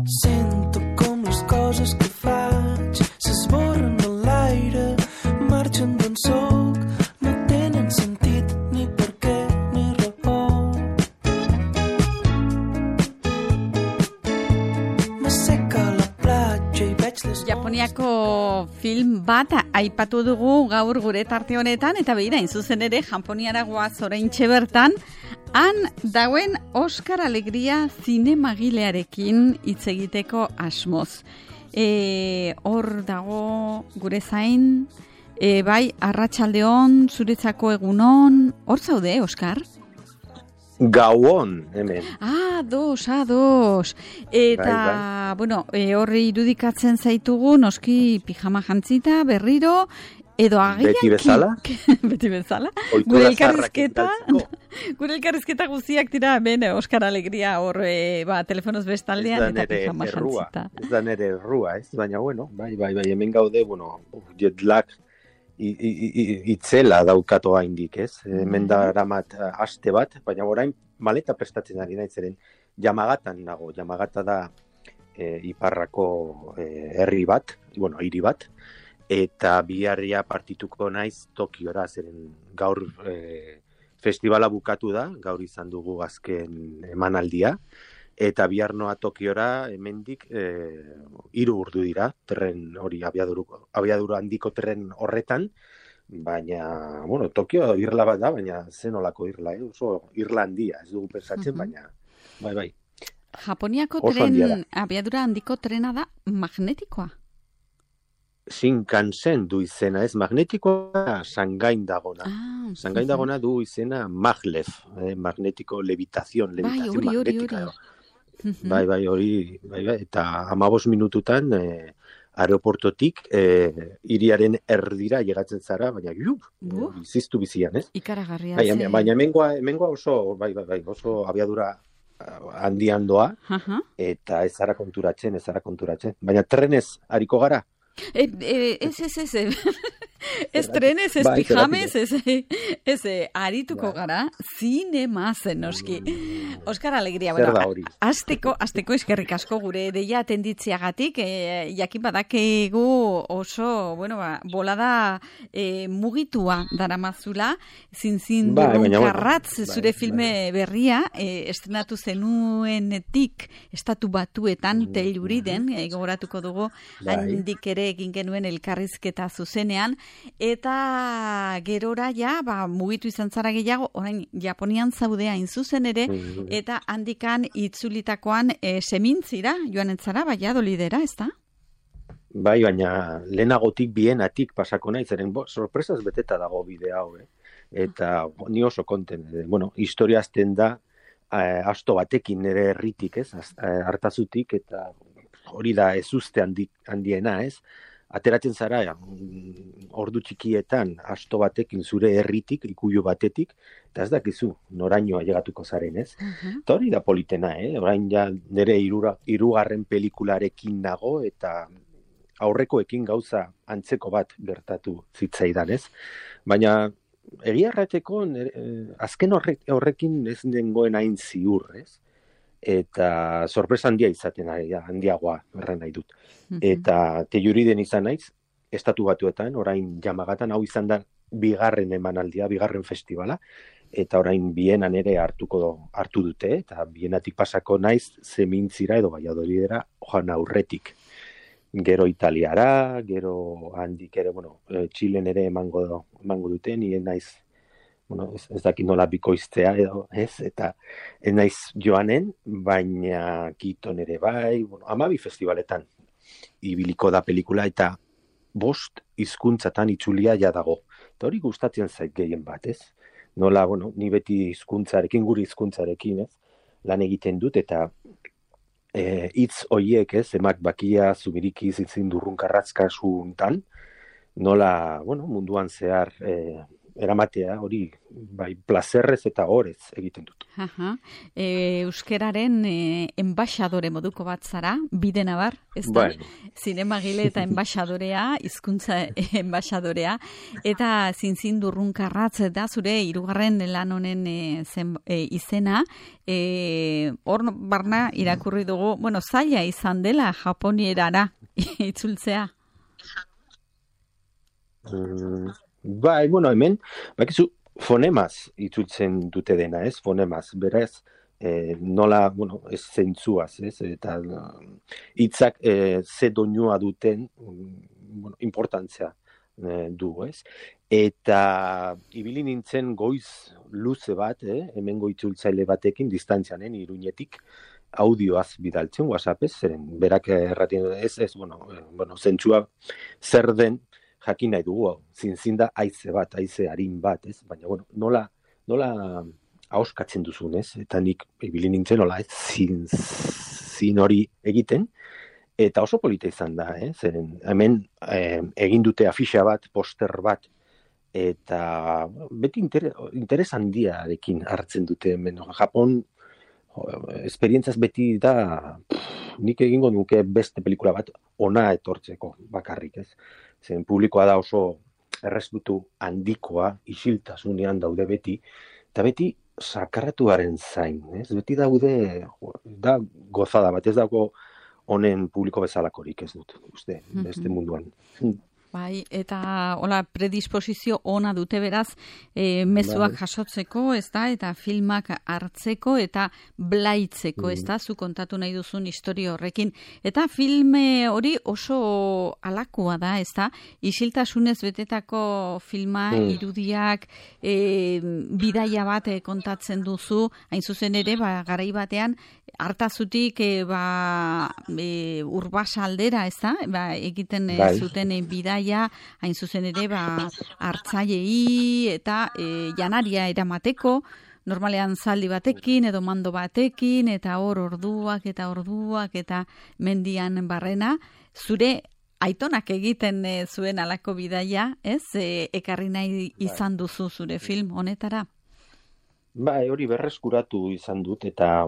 Sento com les coses que faig s'esborren a l'aire, marxen d'on soc, no tenen sentit ni per què ni raó. M'asseca a la platja i veig les... Japoniako film bat aipatu dugu gaur gure tarte honetan, eta behira, zuzen ere, Japoniara goaz oraintxe bertan, han dauen Oskar Alegria zinemagilearekin hitz egiteko asmoz. Hor dago gure zain, bai, arratsaldeon, zuretzako egunon, hor zaude, Oskar? Gauon, hemen. Ados. Eta, Bai. bueno, horri irudikatzen zaitugu, noski pijama jantzita, berriro, edo agian... Beti bezala? Beti bezala. Ohitura Gure elkarrizketa guztiak dira, hemen, Oskar Alegria, hor, telefonoz bestaldean, eta pijama jantzita. Ez da nere errua, ez? Baina, bueno, bai, hemen gaude, bueno, jet lag itzela daukatu haindik, ez? Hemen daramat aste bat, baina orain maleta prestatzen ari naitzeren Yamagatan nago. Yamagata da iparrako herri bat, bueno, hiri bat, eta biharria partituko naiz Tokiora, zeren gaur festivala bukatu da, gaur izan dugu azken emanaldia, eta bihar noa Tokiora hemendik 3 ordu dira, tren hori abiadura handiko tren horretan, baina, bueno, Tokio irla bat da, baina zenolako irla, oso irla handia, ez dugu pensatzen, baina, bai. Japoniako Oso tren, abiadura handiko trena da magnetikoa? Shinkansen du izena, ez magnetikoa Shangain dagona. Shangain dagona du izena maglev, magnetiko levitación magnética. Bai, hori, eta 15 minututan aeroportotik hiriaren erdira llegatzen zara, baina biziztu bizian, ez? Ikaragarria. Baina hemengoa oso, bai, oso abiadura handian doa, eta ez zara konturatzen. Baina trenez hariko gara? Ez trenez, ez pijamez, ez arituko gara, zinemaz, noski. Oskar Alegria, bueno, azteko eskerrik asko gure deia atenditziagatik, jakin badakegu oso, bueno, bolada mugitua daramazula, zin karratz zure filme berria, estrenatu zenuenetik Estatu Batuetan Telluriden, gogoratuko dugu, handik ere egin genuen elkarrizketa zuzenean, eta gerora ja, mugitu izan zara gehiago, orain Japonian zaudea zuzen ere, eta handikan itzulitakoan semintzira, joan entzara, Valladolidera, ez da? Bai, baina lehenagotik bienatik pasako nahi, zeren sorpresaz beteta dago bidea hau, eta ni oso konten, bueno, historia azten da, asto batekin nire herritik, ez, hartazutik, eta hori da ezuzte handiena, ez? Ateratzen zara, ordu txikietan, asto batekin zure herritik, ikuilu batetik, eta ez dakizu, norainoa llegatuko zaren, ez? Eta hori da politena, orain ja nire 3. pelikularekin nago, eta aurrekoekin gauza antzeko bat gertatu zitzaidan, ez? Baina, egia errateko, azken horrekin ez dengoen hain ziur, ez? Eta sorpresa handia izaten handiagoa erran nahi dut. Eta Telluriden izan naiz, Estatu Batuetan, orain Yamagatan, hau izan da 2. emanaldia, 2. festivala, eta orain Bienan ere hartu dute, eta Bienatik pasako naiz Zemintzira edo Valladolidera joan aurretik. Gero Italiara, gero handik ere, bueno, Txilen ere emango dute, nien naiz, bueno, ez dakit nola bikoiztea edo, ez, eta ez naiz joanen, baina Kiton ere bai, bueno, 12 festivaletan ibiliko da pelikula, eta 5 hizkuntzatan itzulia ja dago. Eta hori gustatzen zait gehien bat, ez? Nola, bueno, ni beti gure hizkuntzarekin, ez? Lan egiten dut, eta hitz hoiek, ez? Emak bakia zubiriki zitzin durrunkarratzka suntan, nola, bueno, munduan zehar eramatea hori, bai, plazerrez eta horez egiten dut. Euskeraren enbaixadore moduko bat zara, bidenabar, ez da? Zinemagile eta enbaixadorea, hizkuntza enbaixadorea, eta zinzindurrunkarratz da zure hirugarren lan honen izena, hor barna irakurri dugu, zaila izan dela Japonierara itzultzea. Hemen, bakizu, fonemaz itzultzen dute dena, ez? Fonemaz, beraz, nola, ez zeintzuaz, ez? Eta hitzak ze doinua duten, importantzia du, ez? Eta ibili nintzen goiz luze bat, hemengo itzultzaile batekin, distantzianen, Iruñetik, audioaz bidaltzen, WhatsAppez, zeren, berak erratien, zentzua zer den, jakin nahi dugu, zinzinda haize harin bat, ez? Baina, nola ahoskatzen duzun, ez? Eta nik ibili nintzen, nola, ez? Zin hori egiten, eta oso polita izan da, zeren, hemen egin dute afixa bat, poster bat, eta beti interes handiarekin hartzen dute, hemen, Japon, esperientzaz beti da, nik egingo nuke beste pelikula bat ona etortzeko bakarrik, ez? Zen publikoa da oso errespetu handikoa, isiltasunean daude beti, eta beti sakarratuaren zain, ez? Beti daude, da gozada bat, ez dago honen publiko bezalakorik, ez dut, uste, beste munduan. Bai, eta hola predisposizio ona dute beraz, mezuak jasotzeko, ez da, eta filmak hartzeko eta blaitzeko, ez da, zu kontatu nahi duzun historia horrekin. Eta filme hori oso alakoa da, ez da, isiltasunez betetako filma, irudiak, bidaia bat kontatzen duzu, hain zuzen ere, garai batean, hartazutik Urbasa aldera, ez da, egiten zuten bidaia, hain zuzen ere, hartzailei eta janaria eramateko, normalean zaldi batekin edo mando batekin, eta hor orduak eta mendian barrena, zure aitonak egiten zuen alako bidaia, ez? Ekarri nahi izan duzu zure film honetara? Hori berreskuratu izan dut, eta,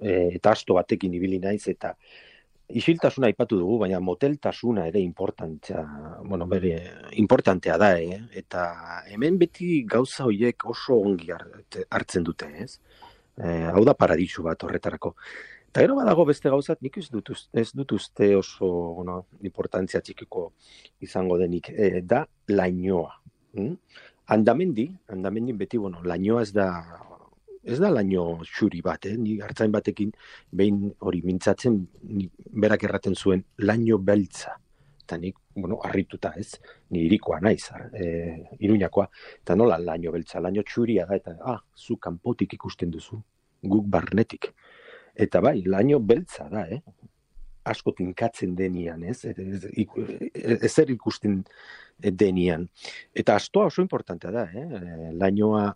eta asto batekin ibili naiz, eta isiltasuna aipatu dugu, baina moteltasuna ere importantea da, eta hemen beti gauza horiek oso ongi hartzen dute, ez? Hau da paradisu bat horretarako. Eta gero badago beste gauzat, nik ez dut uste oso importantzia txikiko izango denik, da lainoa. Andamendi beti, lainoa ez da laino xuri bat, ni hartzain batekin behin hori mintzatzen, berak erraten zuen laino beltza. Eta nik, harrituta ez, ni irikoa naiz, Iruñakoa, eta nola laino beltza, laino txuria da, eta zu kanpotik ikusten duzu, guk barnetik. Eta bai, laino beltza da, asko tinkatzen denian, ezer ikusten denian. Eta astoa oso importantea da, lainoa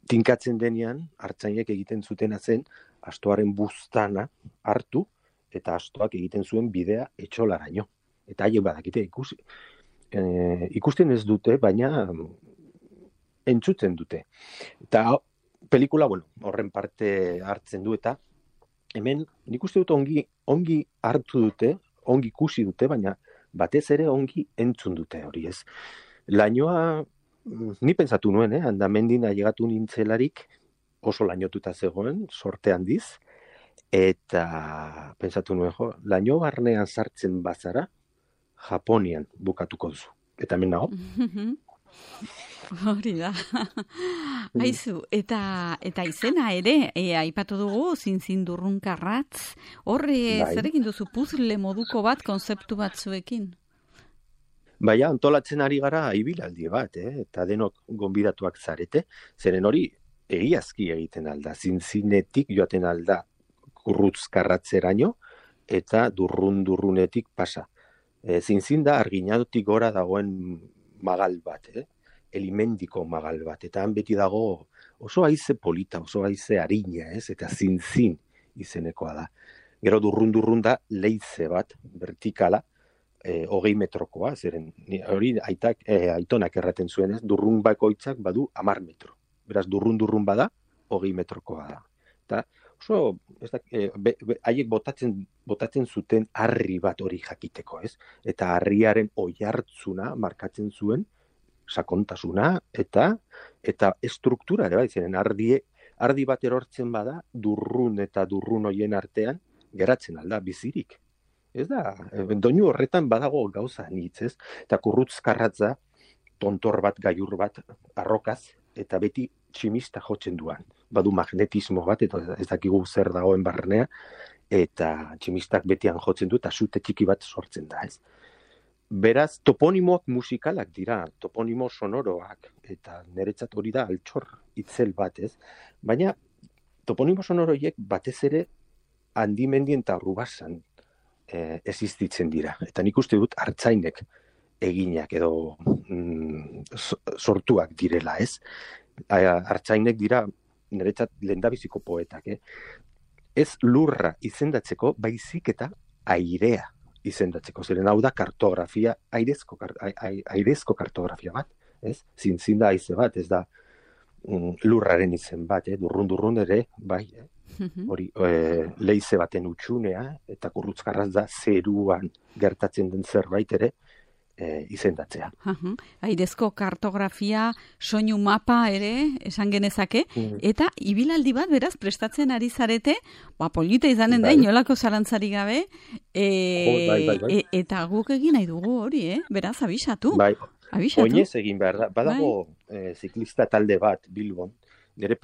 tinkatzen denean, hartzainek egiten zutena zen, astoaren buztana hartu, eta astoak egiten zuen bidea etxolaraino. Eta haien badakite ikusten ez dute, baina entzutzen dute. Eta pelikula, horren parte hartzen du, eta hemen nik uste dut ongi hartu dute, ongi ikusi dute, baina batez ere ongi entzun dute hori, ez. Lainoa, ni pentsatu nuen, andamendin ailegatu nintzelarik oso lainotuta zegoen, sorte handiz, eta pentsatu nuen, laino barnean sartzen bazara, Japonian bukatuko duzu. Eta hemen nago. Hori da. Aizu, eta izena ere, aipatu dugu, zinzindurrunkarratz, horre zerekin duzu puzzle moduko bat, konzeptu batzuekin? Baina, antolatzen ari gara ibilaldi bat, eta denok gonbidatuak zarete, zeren hori egiazki egiten alda, zinzinetik joaten alda kurrutzkarratzeraino, eta durrunetik pasa. Zinzin da arginadotik gora dagoen magal bat, elimendiko magal bat, eta han beti dago oso haize polita, oso haize harina, eta zinzin izenekoa da. Gero durrun da leize bat, vertikala, 20 metrokoa, zeren hori aitonak erraten zuen, ez? Durrun bakoitzak badu 10 metro. Beraz, durrun bada, 20 metrokoa da. Eta oso, haiek botatzen zuten harri bat hori jakiteko, ez? Eta harriaren oihartzuna markatzen zuen, sakontasuna, eta estruktura, bai, zeren ardi bat erortzen bada, durrun eta durrun hoien artean, geratzen alda, bizirik. Ez da, doinu horretan badago gauza nitz, ez? Eta kurrutzkarratza, tontor bat, gaiur bat, arrokaz, eta beti tximista jotzen duan. Badu magnetismo bat, eta ez dakigu zer dagoen barnea, eta tximistak betian jotzen du, eta sute txiki bat sortzen da, ez? Beraz, toponimoak musikalak dira, toponimo sonoroak, eta niretzat hori da altxor itzel bat, ez? Baina, toponimo sonoroiek batez ere Handimendien eta Urrubasan existitzen dira. Eta nik uste dut artzainek eginak edo sortuak direla, ez? Artzainek dira niretzat lehendabiziko poetak, Ez lurra izendatzeko, baizik eta airea izendatzeko. Zeren hau da kartografia, airezko kartografia bat, ez? Zinda haize bat, ez da lurraren izen bat, durrun ere, bai, hori leize baten utxunea, eta kurrutzkarraz da zeruan gertatzen den zerbait ere izendatzea. Airezko kartografia, soinu mapa ere, esan genezake, eta ibilaldi bat beraz prestatzen ari zarete, polita izanen da, inolako zalantzari gabe, eta guk egin nahi dugu hori, beraz, abisatu. Oinez egin behar da, badago ziklista talde bat, Bilbon, nire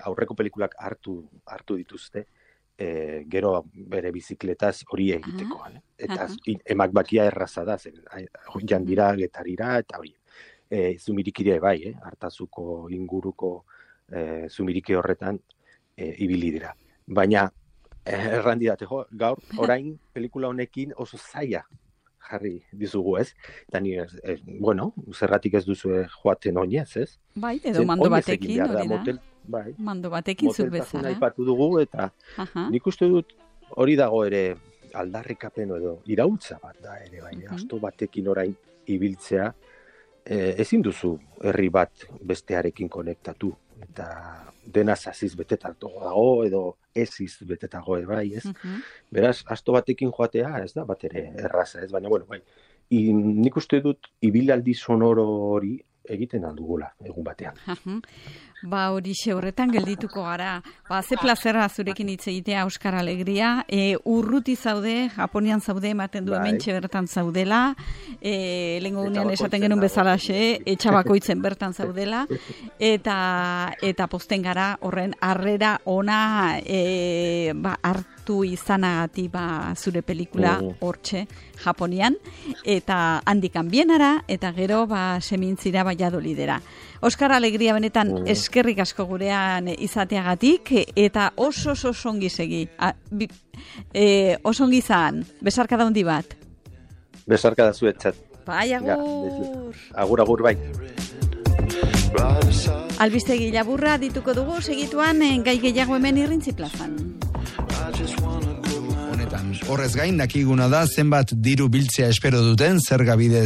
aurreko pelikulak hartu dituzte, gero bere bizikletaz hori egiteko. Eta emak bakia erraza da, jandira, getarira, eta hori. Zumirikire bai, hartazuko inguruko zumirike horretan ibili dira. Baina, errandidate, gaur, orain pelikula honekin oso zaila jarri dizugu, ez? Eta ni, zerratik ez duzu joaten oinez, ez? Bai, edo mando batekin, hori da. Bai. Mando batekin zuk bezala. Aipatu dugu, eta nik uste dut hori dago ere aldarrikapen edo iraultza bat da ere, bai. Asto batekin orain ibiltzea, ezin duzu herri bat bestearekin konektatu, eta dena zaziz betetago dago, edo eziz betetago, bai, ez? Beraz, asto batekin joatea, ez da, bat ere erraza, ez? Baina, bai, nik uste dut ibilaldi sonoro hori egiten aldugula, egun batean. Horixe horretan geldituko gara. Ze plazera zurekin hitz egitea, Oskar Alegria. Urruti zaude, Japonian zaude, ematen du hementxe bertan zaudela. Lehengo gunean esaten genuen bezalaxe, etxabakoitzen bertan zaudela. Eta posten gara horren harrera ona hartu izanagatik zure pelikula hortxe Japonian. Eta handikan bienara, eta gero semintzira Valladolidera. Oskar Alegria benetan eskerrik asko gurean izateagatik, eta oso ongi segi. Oso ongi zan, besarkada handi bat. Besarkada zuetzat. Bai, agur. Agur, bai. Albistegi laburra dituko dugu, segituan gai gehiago hemen Irrintzi plazan. Horrez gain, dakiguna da zenbat diru biltzea espero duten zerga bidez